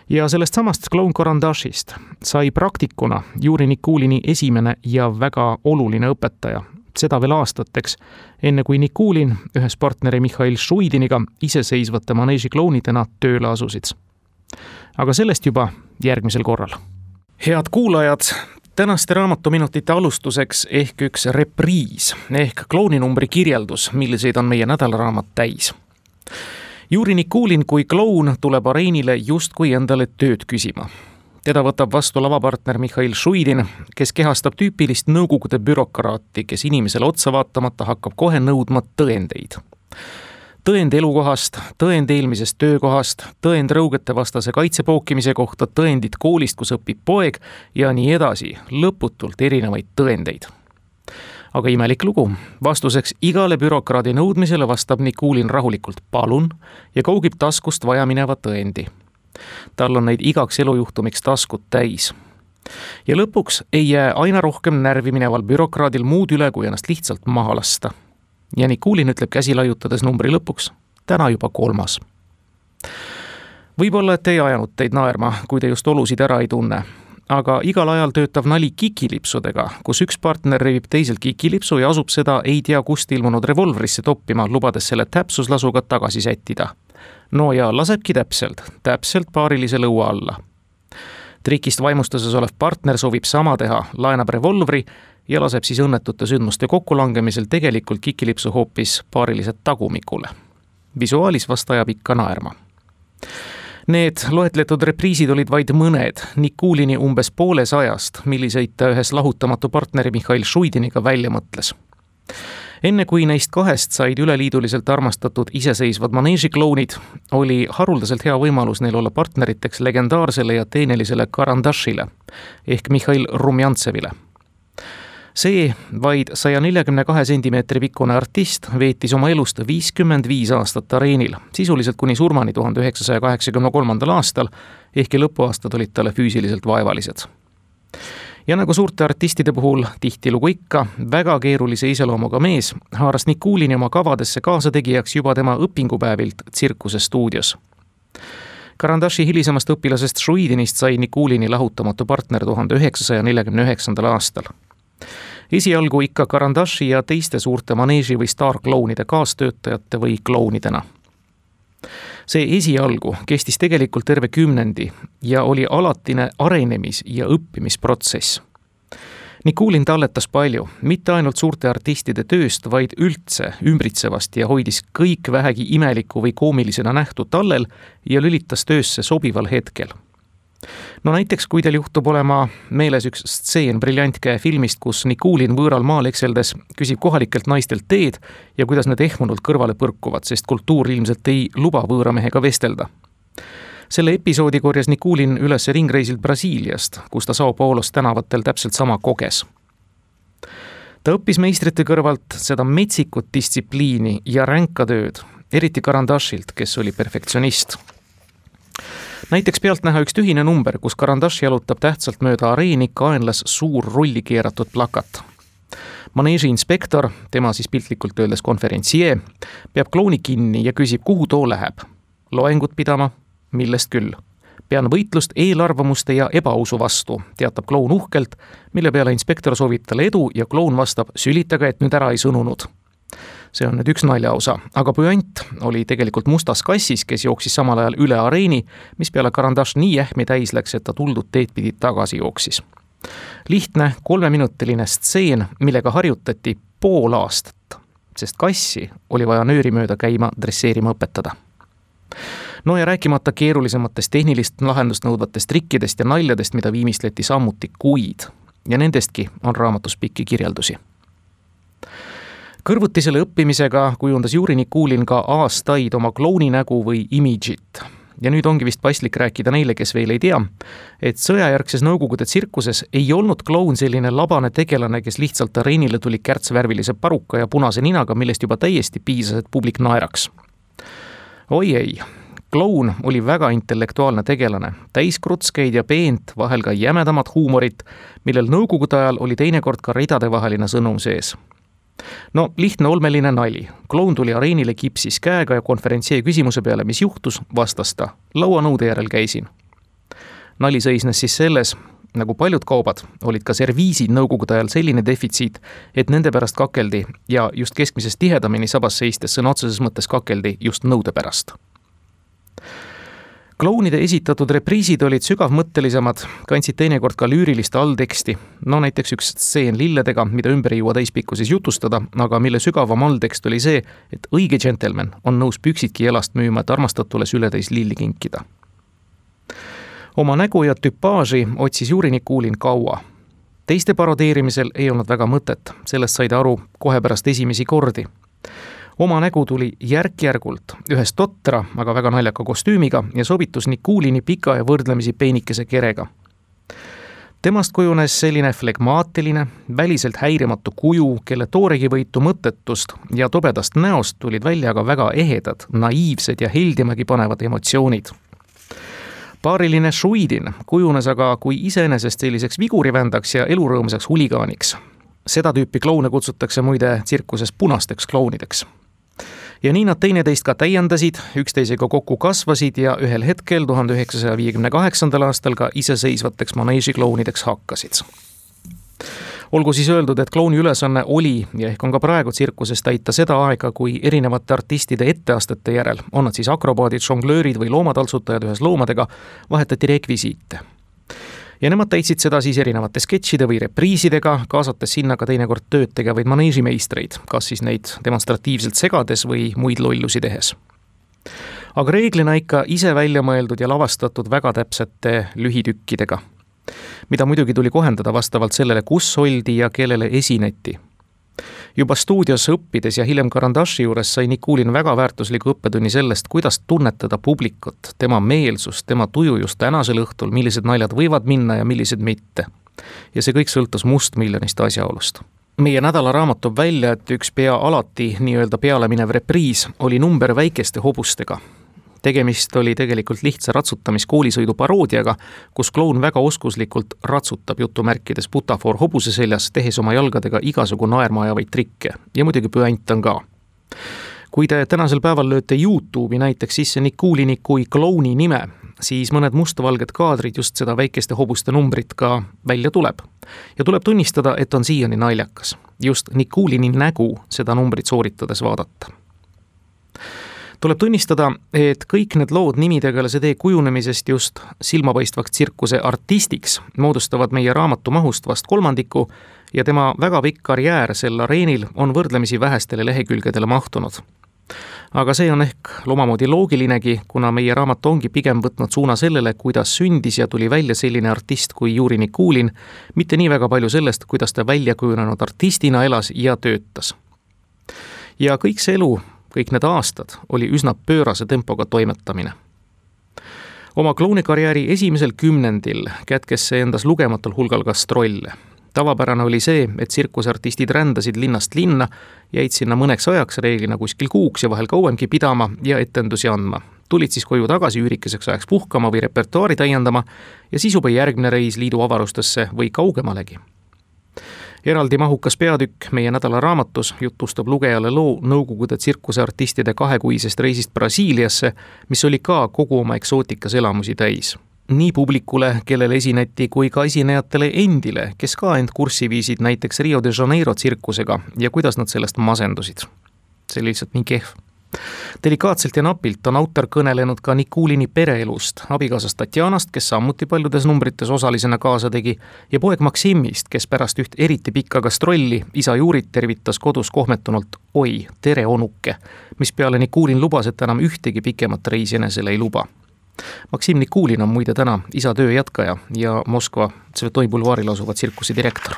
Ja sellest samast kloun Karandashist sai praktikuna Juri Nikulini esimene ja väga oluline õpetaja, seda veel aastateks, enne kui Nikulin ühes partneri Mihhail Šuidiniga iseseisvate maneeži klounidena tööle asusid. Aga sellest juba järgmisel korral. Head kuulajad, tänaste raamatuminutite alustuseks ehk üks repriis ehk klouninumbri kirjeldus, milliseid on meie nädalaraamat täis. Juri Nikulin kui kloun tuleb areenile justkui endale tööd küsima. Teda võtab vastu lavapartner Mihhail Šuidin, kes kehastab tüüpilist nõukogude bürokraati, kes inimesele otsa vaatamata hakkab kohe nõudma tõendeid. Tõend elukohast, tõend eelmisest töökohast, tõend rõugete vastase kaitsepookimise kohta, tõendid koolist, kus õpib poeg ja nii edasi, lõputult erinevaid tõendeid. Aga imelik lugu, vastuseks igale bürokraadi nõudmisele vastab Nikulin rahulikult palun ja kaugib taskust vajamineva tõendi. Tal on neid igaks elujuhtumiks taskut täis. Ja lõpuks ei jää aina rohkem närvi mineval bürokraadil muud üle, kui ennast lihtsalt maha lasta. Ja Nikulin ütleb käsi laiutades numbri lõpuks, täna juba 3. Võib-olla, et ei ajanud teid naerma, kui te just olusid ära ei tunne. Aga igal ajal töötav nali kikilipsudega, kus üks partner revib teiselt kikilipsu ja asub seda ei tea kust ilmunud revolvrisse toppima, lubades selle täpsuslasuga tagasi sättida. No ja lasebki täpselt paarilise lõua alla. Trikist vaimustuses olev partner soovib sama teha, laenab revolvri ja laseb siis õnnetute sündmuste kokkulangemisel tegelikult kikilipsu hoopis paarilised tagumikule. Visuaalis vast ajab ikka naerma. Need loetletud repriisid olid vaid mõned Nikulini umbes 100, milliseid ta ühes lahutamatu partneri Mihhail Šuidiniga välja mõtles. Enne kui neist 2 said üleliiduliselt armastatud iseseisvad maneežiklounid, oli haruldaselt hea võimalus neil olla partneriteks legendaarsele ja teenelisele Karandashile ehk Mihhail Rumjantsevile. See vaid 142 sentimeetri pikkune artist veetis oma elust 55 aastat areenil, sisuliselt kuni surmani 1983. aastal, ehkki lõpuaastad olid talle füüsiliselt vaevalised. Ja nagu suurte artistide puhul tihtilugu ikka, väga keerulise iseloomuga mees haaras Nikulini oma kavadesse kaasategijaks juba tema õpingupäevilt tsirkusestuudios. Karandashi hilisemast õpilasest Šuidinist sai Nikulini lahutamatu partner 1949. aastal. esialgu ikka Karandashi ja teiste suurte maneeži või staarklounide kaastöötajate või klounidena. See esialgu kestis tegelikult terve 10 ja oli alatine arenemis- ja õppimisprotsess. Nikulin talletas palju, mitte ainult suurte artistide tööst, vaid üldse ümbritsevast ja hoidis kõik vähegi imeliku või koomilisena nähtu tallel ja lülitas töösse sobival hetkel. No näiteks, kui teil juhtub olema meeles üks stseen Briljantkäe filmist, kus Nikulin võõral maal ekseldes küsib kohalikelt naistelt teed ja kuidas need ehmunult kõrvale põrkuvad, sest kultuur ilmselt ei luba võõramehega vestelda. Selle episoodi korjas Nikulin üles ringreisilt Brasiiliast, kus ta Sao Paulos tänavatel täpselt sama koges. Ta õppis meistrite kõrvalt seda metsikut distsipliini ja ränka tööd, eriti Karandashilt, kes oli perfektsionist. Näiteks pealt näha üks tühine number, kus Karandashi jalutab tähtsalt mööda areeni kaenlas suur rulli keeratud plakat. Maneeži inspektor, tema siis piltlikult öeldes konverentsijee, peab klouni kinni ja küsib, kuhu too läheb. Loengut pidama? Millest küll. Pean võitlust eelarvamuste ja ebausu vastu, teatab kloun uhkelt, mille peale inspektor soovib talle edu ja kloun vastab, sülitaga, et nüüd ära ei sõnunud. See on nüüd üks naljaosa, aga püant oli tegelikult mustas kassis, kes jooksis samal ajal üle areeni, mis peale Karandash nii ähmi täis läks, et ta tuldud teed pidi tagasi jooksis. Lihtne 3-minutiline stseen, millega harjutati pool aastat, sest kassi oli vaja nööri mööda käima dresseerima õpetada. No ja rääkimata keerulisematest tehnilist lahendust nõudvatest trikkidest ja naljadest, mida viimistleti sammuti kuid, ja nendestki on raamatus pikki kirjeldusi. Kõrvuti selle õppimisega kujundas Juri Nikulin ka aastaid oma klouninägu või imidžit. Ja nüüd ongi vist paslik rääkida neile, kes veel ei tea, et sõjajärgses Nõukogude tsirkuses ei olnud kloun selline labane tegelane, kes lihtsalt areenile tuli kärtsvärvilise paruka ja punase ninaga, millest juba täiesti piisas, et publik naeraks. Oi ei, kloun oli väga intellektuaalne tegelane, täis krutskeid ja peent, vahel ka jämedamat huumorit, millel Nõukogude ajal oli teinekord ka ridadevaheline sõnum sees. No lihtne olmeline nali. Kloun tuli areenile kipsis käega ja konverentsee küsimuse peale, mis juhtus, vastas ta. Lauanõude järel käisin. Nali seisnes siis selles, nagu paljud kaubad, olid ka serviisid Nõukogude ajal selline defitsiit, et nende pärast kakeldi ja just keskmisest tihedamini sabas seistes sõna otseses mõttes kakeldi just nõude pärast. Klounide esitatud repriisid olid sügavmõttelisemad, kandsid teinekord ka lüürilist allteksti, no näiteks üks stseen lilledega, mida ümber ei jõua täispikkuses jutustada, aga mille sügavam alltekst oli see, et õige džentelmen on nõus püksidki jalast müüma, et armastatule sületäis lilli kinkida. Oma nägu ja tüpaaži otsis Juri Nikulin kaua. Teiste parodeerimisel ei olnud väga mõtet, sellest said aru kohe pärast esimesi kordi. Oma nägu tuli järk-järgult ühes totra, aga väga naljaka kostüümiga ja sobitus Nikulini pika ja võrdlemisi peenikese kerega. Temast kujunes selline flegmaatiline, väliselt häirimatu kuju, kelle tooregi võitu mõttetust ja tobedast näost tulid välja aga väga ehedad, naiivsed ja heldimagi panevad emotsioonid. Paariline Šuidin kujunes aga kui iseenesest selliseks vigurivändaks ja elurõõmsaks huligaaniks. Seda tüüpi kloune kutsutakse muide tsirkuses punasteks klounideks. Ja nii nad teineteist ka täiendasid, üksteisega kokku kasvasid ja ühel hetkel 1958. aastal ka iseseisvateks maneežiklounideks hakkasid. Olgu siis öeldud, et klouni ülesanne oli ja ehk on ka praegu tsirkuses täita seda aega, kui erinevate artistide etteastete järel, on nad siis akrobaadid, žonglöörid või loomataltsutajad ühes loomadega, vahetati rekvisiite. Ja nemad täitsid seda siis erinevate sketšide või repriisidega, kaasates sinna ka teinekord tööd tegevaid maneežimeistreid, kas siis neid demonstratiivselt segades või muid lollusi tehes. Aga reeglina ikka ise välja mõeldud ja lavastatud väga täpsete lühitükkidega, mida muidugi tuli kohendada vastavalt sellele, kus oldi ja kellele esineti. Juba stuudios õppides ja hiljem Karandashi juures sai Nikulin väga väärtusliku õppetunni sellest, kuidas tunnetada publikut, tema meelsust, tema tuju just tänasel õhtul, millised naljad võivad minna ja millised mitte. Ja see kõik sõltus mustmiljonist asjaolust. Meie nädalaraamat toob välja, et üks pea alati nii-öelda peale minev repriis oli number väikeste hobustega. Tegemist oli tegelikult lihtsa ratsutamiskoolisõidu paroodiaga, kus kloun väga oskuslikult ratsutab jutumärkides butafoor hobuse seljas, tehes oma jalgadega igasugu naerma ajavaid trikke. Ja muidugi püant on ka. Kui te tänasel päeval lööte YouTube'i näiteks sisse Nikulini kui klouni nime, siis mõned mustvalged kaadrid just seda väikeste hobuste numbrit ka välja tuleb. Ja tuleb tunnistada, et on siiani naljakas. Just Nikulini nägu seda numbrit sooritades vaadata. Tuleb tunnistada, et kõik need lood nimitegelase tee kujunemisest just silmapaistvaks tsirkuse artistiks moodustavad meie raamatu mahust vast kolmandiku ja tema väga pikk karjäär sel areenil on võrdlemisi vähestele lehekülgedele mahtunud. Aga see on ehk omamoodi loogilinegi, kuna meie raamat ongi pigem võtnud suuna sellele, kuidas sündis ja tuli välja selline artist kui Juri Nikulin, mitte nii väga palju sellest, kuidas ta välja kujunenud artistina elas ja töötas. Ja kõik see elu, kõik need aastad oli üsna pöörase tempoga toimetamine. Oma klounikarjääri esimesel 10. kätkes see endas lugematul hulgal gastrolle. Tavapärane oli see, et tsirkusartistid rändasid linnast linna, jäid sinna mõneks ajaks, reeglina kuskil kuuks ja vahel kauemgi pidama ja etendusi andma. Tulid siis koju tagasi üürikeseks ajaks puhkama või repertuaari täiendama ja siis juba järgmine reis liidu avarustesse või kaugemalegi. Eraldi mahukas peatükk meie nädala raamatus jutustab lugejale loo Nõukogude tsirkuseartistide 2-kuisest reisist Brasiiliasse, mis oli ka kogu oma eksootikas elamusi täis. Nii publikule, kellele esineti, kui ka esinejatele endile, kes ka end kurssi viisid näiteks Rio de Janeiro tsirkusega ja kuidas nad sellest masendusid. See oli lihtsalt nii kehv. Delikaatselt ja napilt on autor kõnelenud ka Nikulini pereelust, abikaasast Tatjanast, kes sammuti paljudes numbrites osalisena kaasa tegi, ja poeg Maksimist, kes pärast üht eriti pikka gastrolli isa Jurit tervitas kodus kohmetunult oi, tere onuke, mis peale Nikulin lubas, et enam ühtegi pikemat reisi enesele ei luba. Maksim Nikulin on muide täna isa töö jätkaja ja Moskva Tsvetoi bulvaaril asuva tsirkusi direktor.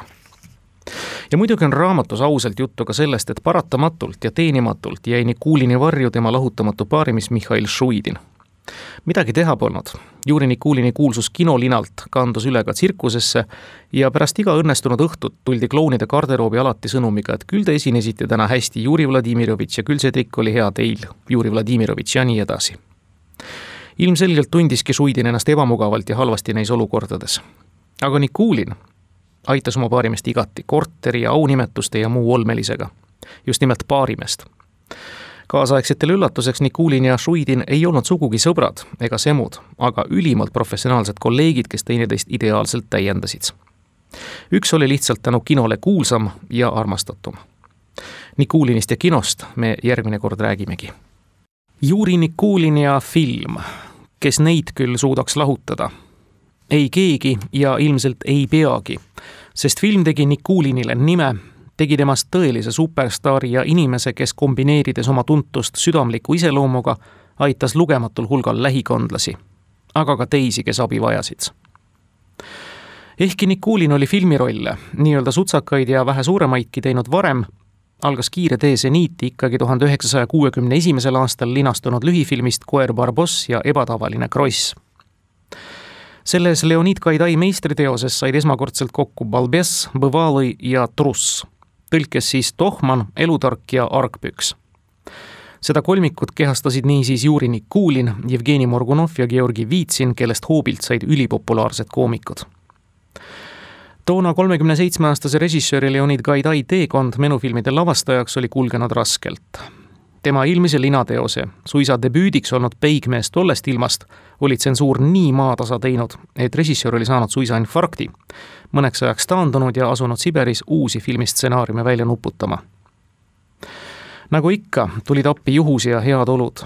Ja muidugi on raamatus ausalt juttu ka sellest, et paratamatult ja teenimatult jäi Nikulini varju tema lahutamatu paarimis Mihhail Šuidin. Midagi teha polnud. Juri Nikulini kuulsus kinolinalt kandus üle ka tsirkusesse ja pärast iga õnnestunud õhtut tuldi klounide garderoobi alati sõnumiga, et küll te esinesite täna hästi, Juri Vladimirovitš, ja küll see trikk oli hea teil, Juri Vladimirovitš, ja nii edasi. Ilmselgelt tundiski Šuidin ennast ebamugavalt ja halvasti neis olukordades. Aga Nikulin aitas oma paarimest igati korteri ja aunimetuste ja muu olmelisega. Just nimelt paarimest. Kaasaegsetele üllatuseks Nikulin ja Šuidin ei olnud sugugi sõbrad ega semud, aga ülimalt professionaalsed kolleegid, kes teineteist ideaalselt täiendasid. Üks oli lihtsalt tänu kinole kuulsam ja armastatum. Nikulinist ja kinost me järgmine kord räägimegi. Juri Nikulin ja film, kes neid küll suudaks lahutada? Ei keegi ja ilmselt ei peagi, sest film tegi Nikulinile nime, tegi temast tõelise superstaari ja inimese, kes kombineerides oma tuntust südamliku iseloomuga, aitas lugematul hulgal lähikondlasi, aga ka teisi, kes abi vajasid. Ehkki Nikulin oli filmirolle, nii-öelda sutsakaid ja vähe suuremaidki teinud varem, algas kiire tee seniiti ikkagi 1961. aastal linastunud lühifilmist Koer Barboss ja ebatavaline kross. Selles Leonid Gaidai meistriteoses said esmakordselt kokku Balbes, Bõvalõi ja Truss, tõlkes siis Tohman, Elutark ja Argpüks. Seda kolmikut kehastasid niisiis Juri Nikulin, Jevgeni Morgunov ja Georgi Vitsin, kellest hoobilt said ülipopulaarsed koomikud. Toona 37-aastase režissööri Leonid Gaidai teekond menufilmide lavastajaks oli kulgenud raskelt. Tema ilmise linateose, suisa debüüdiks olnud Peigmees tollest ilmast, oli tsensuur nii maatasa teinud, et režissöör oli saanud suisa infarkti, mõneks ajaks taandunud ja asunud Siberis uusi filmistsenaariume välja nuputama. Nagu ikka, tulid appi juhus ja head olud.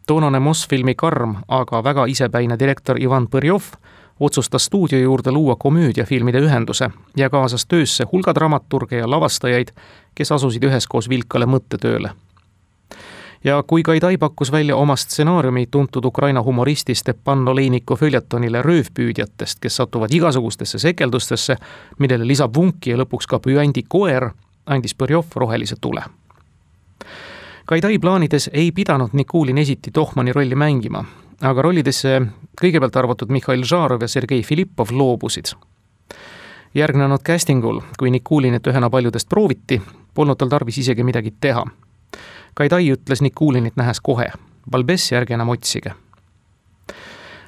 Toonane Mosfilmi karm, aga väga isepäine direktor Ivan Põrjov otsustas stuudio juurde luua komöödiafilmide ühenduse ja kaasas töösse hulga dramaturge ja lavastajaid, kes asusid üheskoos vilkale mõttetööle. Ja kui Gaidai pakkus välja oma stsenaariumi tuntud Ukraina humoristi Stepan Oleiniku följetonile röövpüüdjatest, kes satuvad igasugustesse sekeldustesse, millele lisab vunki ja lõpuks ka püändi koer, andis Põrjov rohelise tule. Gaidai plaanides ei pidanud Nikulin esiti Tohmani rolli mängima, aga rollidesse kõigepealt arvatud Mihhail Žarov ja Sergei Filippov loobusid. Järgnenud castingul, kui Nikulinit ühena paljudest prooviti, polnud tal tarvis isegi midagi teha. Gaidai ütles Nikulinit nähes kohe, Balbessi ärge enam otsige.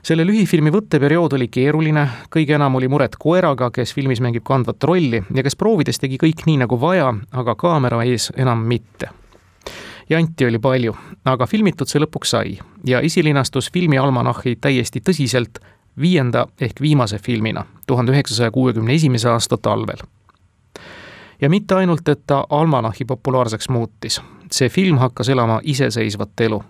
Selle lühifilmi võtteperiood oli keeruline, kõige enam oli muret koeraga, kes filmis mängib kandvat rolli ja kes proovides tegi kõik nii nagu vaja, aga kaamera ees enam mitte. Janti oli palju, aga filmitud see lõpuks sai ja esilinastus filmi almanahhi täiesti tõsiselt 5. ehk viimase filmina 1961. aasta talvel. Ja mitte ainult, et ta almanahhi populaarseks muutis. See film hakkas elama iseseisvat elu.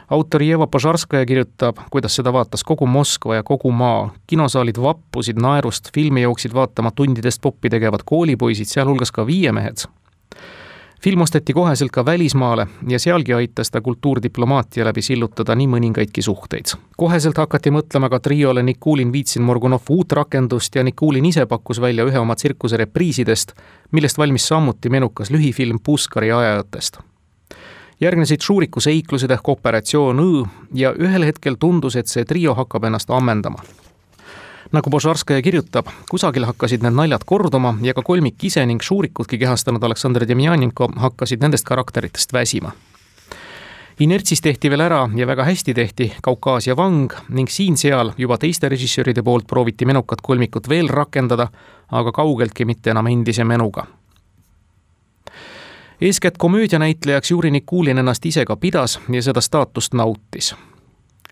Autor Jeva Požarskaja kirjutab, kuidas seda vaatas kogu Moskva ja kogu maa. Kinosaalid vappusid naerust, filmi jooksid vaatama tundidest poppi tegevad koolipoisid, sealhulgas ka viiemehed. Film osteti koheselt ka välismaale ja sealgi aitas ta kultuurdiplomaatia läbi sillutada nii mõningaidki suhteid. Koheselt hakati mõtlema ka triole Nikulin Vitsin-Morgunov uut rakendust ja Nikulin ise pakkus välja ühe oma tsirkuse repriisidest, millest valmis samuti menukas lühifilm Puskari ajajatest. Järgnesid Šuriku seiklused ehk Operatsioon Õ ja ühel hetkel tundus, et see trio hakkab ennast ammendama. Nagu Požarskaja kirjutab, kusagil hakkasid need naljad korduma ja ka kolmik ise ning Šurikutki kehastanud Aleksandr Demjanenko hakkasid nendest karakteritest väsima. Inertsis tehti veel ära ja väga hästi tehti Kaukaasia vang ning siin-seal juba teiste režissööride poolt prooviti menukat kolmikut veel rakendada, aga kaugeltki mitte enam endise menuga. Eeskätt komöödianäitlejaks Juri Nikulin ennast ise ka pidas ja seda staatust nautis.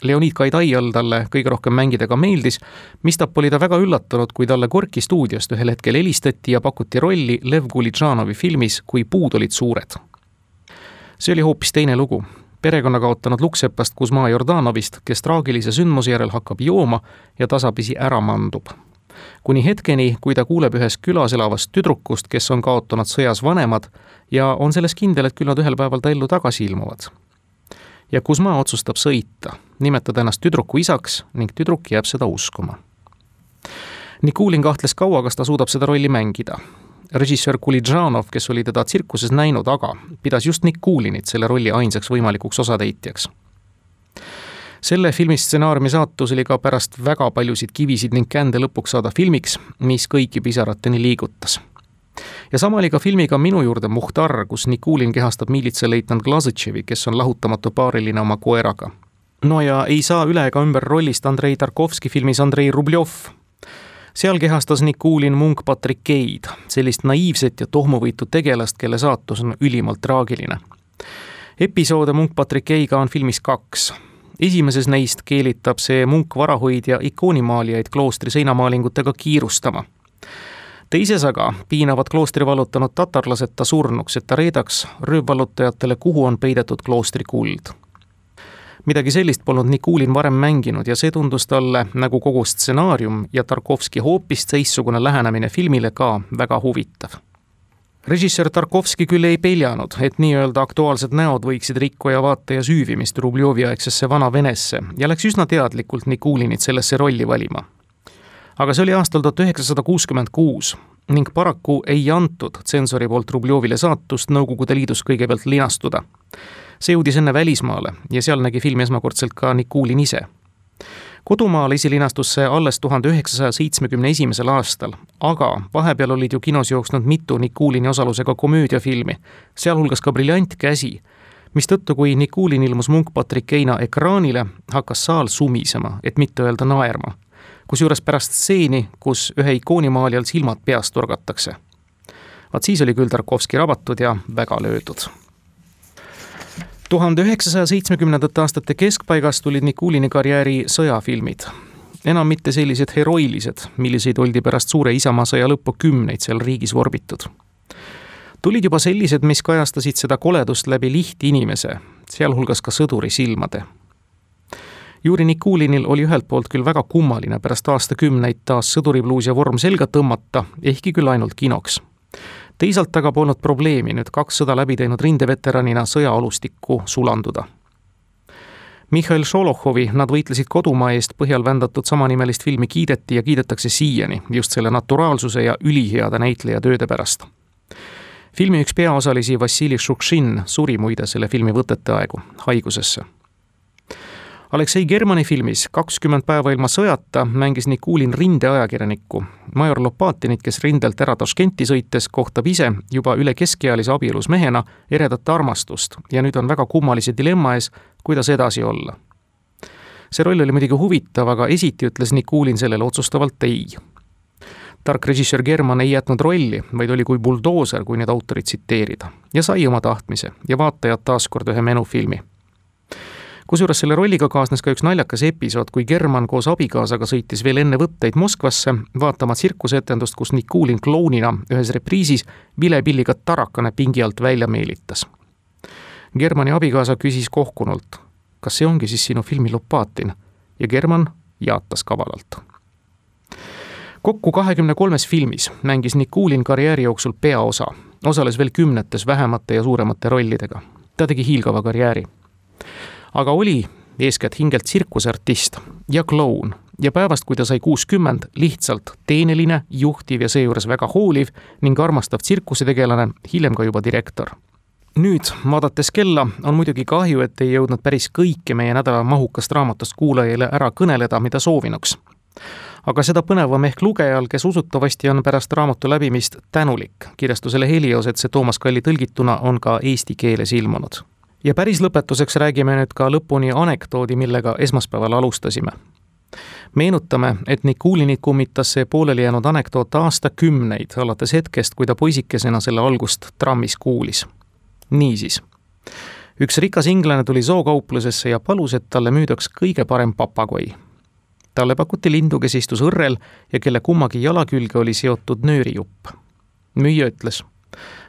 Leonid Gaidaial talle kõige rohkem mängida ka meeldis, mistap oli ta väga üllatunud, kui talle Gorki stuudiost ühel hetkel helistati ja pakuti rolli Lev Gulidžanovi filmis Kui puud olid suured. See oli hoopis teine lugu. Perekonna kaotanud luksepast Kuzma Jordanovist, kes traagilise sündmuse järel hakkab jooma ja tasapisi ära mandub. Kuni hetkeni, kui ta kuuleb ühes külas elavast tüdrukust, kes on kaotanud sõjas vanemad ja on selles kindel, et küll nad ühel päeval ta ellu tagasi ilmuvad. Ja Kuzma otsustab sõita, nimetada ennast tüdruku isaks ning tüdruk jääb seda uskuma. Nikulin kahtles kaua, kas ta suudab seda rolli mängida. Režissöör Gulidžanov, kes oli teda tsirkuses näinud, aga pidas just Nikulinit selle rolli ainsaks võimalikuks osatäitjaks. Selle filmi stsenaariumi saatus oli ka pärast väga paljusid kivisid ning kände lõpuks saada filmiks, mis kõiki pisarateni liigutas. Ja sama oli ka filmiga Minu juurde Muhtar, kus Nikulin kehastab miilitsaleitnant Glazõtševi, kes on lahutamatu paariline oma koeraga. No ja ei saa üle ega ümber rollist Andrei Tarkovski filmis Andrei Rubljov. Seal kehastas Nikulin munk Patrikeid, sellist naiivset ja tohmuvõitu tegelast, kelle saatus on ülimalt traagiline. Episoode munk Patrikeiga on filmis 2. Esimeses neist keelitab see munk varahoidja ikoonimaalijaid kloostri seinamaalingutega kiirustama. Teises aga piinavad kloostri vallutanud tatarlased ta surnuks, et ta reedaks röövvallutajatele, kuhu on peidetud kloostri kuld. Midagi sellist polnud Nikulin varem mänginud ja see tundus talle nagu kogu stsenaarium ja Tarkovski hoopis teistsugune lähenemine filmile ka väga huvitav. Režissöör Tarkovski küll ei peljanud, et nii-öelda aktuaalsed näod võiksid rikkuja vaataja süüvimist Rubljovi aegsesse vana Venesse ja läks üsna teadlikult Nikulinit sellesse rolli valima. Aga see oli aastal 1966 ning paraku ei antud tsensori poolt Rubljóvile saatust Nõukogude Liidus kõigepealt linastuda. See jõudis enne välismaale ja seal nägi filmi esmakordselt ka Nikulin ise. Kodumaal esilinastus see alles 1971. aastal, aga vahepeal olid ju kinos jooksnud mitu Nikulini osalusega komöödiafilmi, sealhulgas ka Briljant käsi, mistõttu kui Nikulin ilmus munk Patrikeina ekraanile, hakkas saal sumisema, et mitte öelda naerma. Kusjuures pärast stseeni, kus ühe ikoonimaalijal silmad peast torgatakse. Vaat siis oli küll Tarkovski rabatud ja väga löödud. 1970. aastate keskpaigast tulid Nikulini karjääri sõjafilmid. Enam mitte sellised heroilised, milliseid oldi pärast suure isamaasõja lõppu 10 seal riigis vorbitud. Tulid juba sellised, mis kajastasid seda koledust läbi lihti inimese, sealhulgas ka sõduri silmade. Juri Nikulinil oli ühelt poolt küll väga kummaline pärast aastakümneid taas sõduribluus ja vorm selga tõmmata, ehkki küll ainult kinoks. Teisalt aga polnud probleemi nüüd 2 sõda läbi teinud rindeveteranina sõjaalustikku sulanduda. Mihhail Šolohovi nad võitlesid kodumaa eest põhjal vändatud samanimelist filmi kiideti ja kiidetakse siiani just selle naturaalsuse ja üliheade näitleja tööde pärast. Filmi üks peaosalisi Vassili Šukšin suri muide selle filmi võtete aegu haigusesse. Aleksei Germani filmis 20 päeva ilma sõjata mängis Nikulin rindeajakirjanikku. Major Lopatinit, kes rindelt ära Taškenti sõites, kohtab ise juba üle keskealise abielus mehena eredat armastust ja nüüd on väga kummalise dilemma ees, kuidas edasi olla. See roll oli muidugi huvitav, aga esiti ütles Nikulin sellele otsustavalt ei. tark režissöör German ei jätnud rolli, vaid oli kui buldooser, kui need autorid tsiteerida, ja sai oma tahtmise ja vaatajad taaskord ühe menufilmi. Kusjuures selle rolliga kaasnes ka üks naljakas episood, kui German koos abikaasaga sõitis veel enne võtteid Moskvasse vaatama tsirkusetendust, kus Nikulin klounina ühes repriisis vilepilliga tarakane pingi alt välja meelitas. Germani abikaasa küsis kohkunult, kas see ongi siis sinu filmi Lopatin, ja German jaatas kavalalt. Kokku 23 filmis mängis Nikulin karjääri jooksul peaosa, osales veel 10 vähemate ja suuremate rollidega. Ta tegi hiilgava karjääri. Aga oli eeskätt hingelt tsirkusartist ja kloun ja päevast, kui ta sai 60, lihtsalt teeneline, juhtiv ja seejuures väga hooliv ning armastav tsirkusetegelane, hiljem ka juba direktor. Nüüd, vaadates kella, on muidugi kahju, et ei jõudnud päris kõike meie nädala mahukast raamatust kuulajale ära kõneleda, mida soovinuks. Aga seda põnevam ehk lugejal, kes usutavasti on pärast raamatu läbimist tänulik kirjastusele Helios, et see Toomas Kalli tõlgituna on ka eesti keeles ilmunud. Ja päris lõpetuseks räägime nüüd ka lõpuni anekdoodi, millega esmaspäeval alustasime. Meenutame, et Nikulinit kummitas see pooleli jäänud anekdoot aastakümneid, alates hetkest, kui ta poisikesena selle algust trammis kuulis. Niisiis, üks rikas inglane tuli zookauplusesse ja palus, et talle müüdaks kõige parem papagoi. Talle pakuti lindu, kes istus õrrel ja kelle kummagi jala külge oli seotud nöörijupp. Müüja ütles,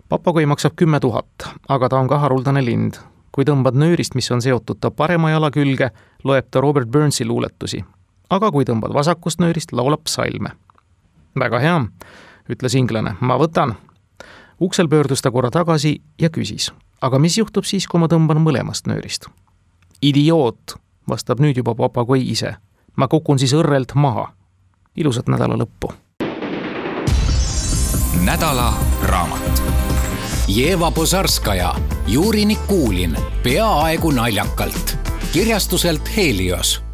papagoi maksab 10 000, aga ta on ka haruldane lind. Kui tõmbad nöörist, mis on seotud ta parema jala külge, loeb ta Robert Burnsi luuletusi. Aga kui tõmbad vasakust nöörist, laulab psalme. Väga hea, ütles inglane, ma võtan. Uksel pöördus ta korra tagasi ja küsis, aga mis juhtub siis, kui ma tõmban mõlemast nöörist? Idioot, vastab nüüd juba papagoi ise. Ma kukun siis õrrelt maha. Ilusat nädala lõppu. Nädala raamat. Jeva Pozarskaja, Juri Nikulin, peaaegu naljakalt. Kirjastuselt Helios.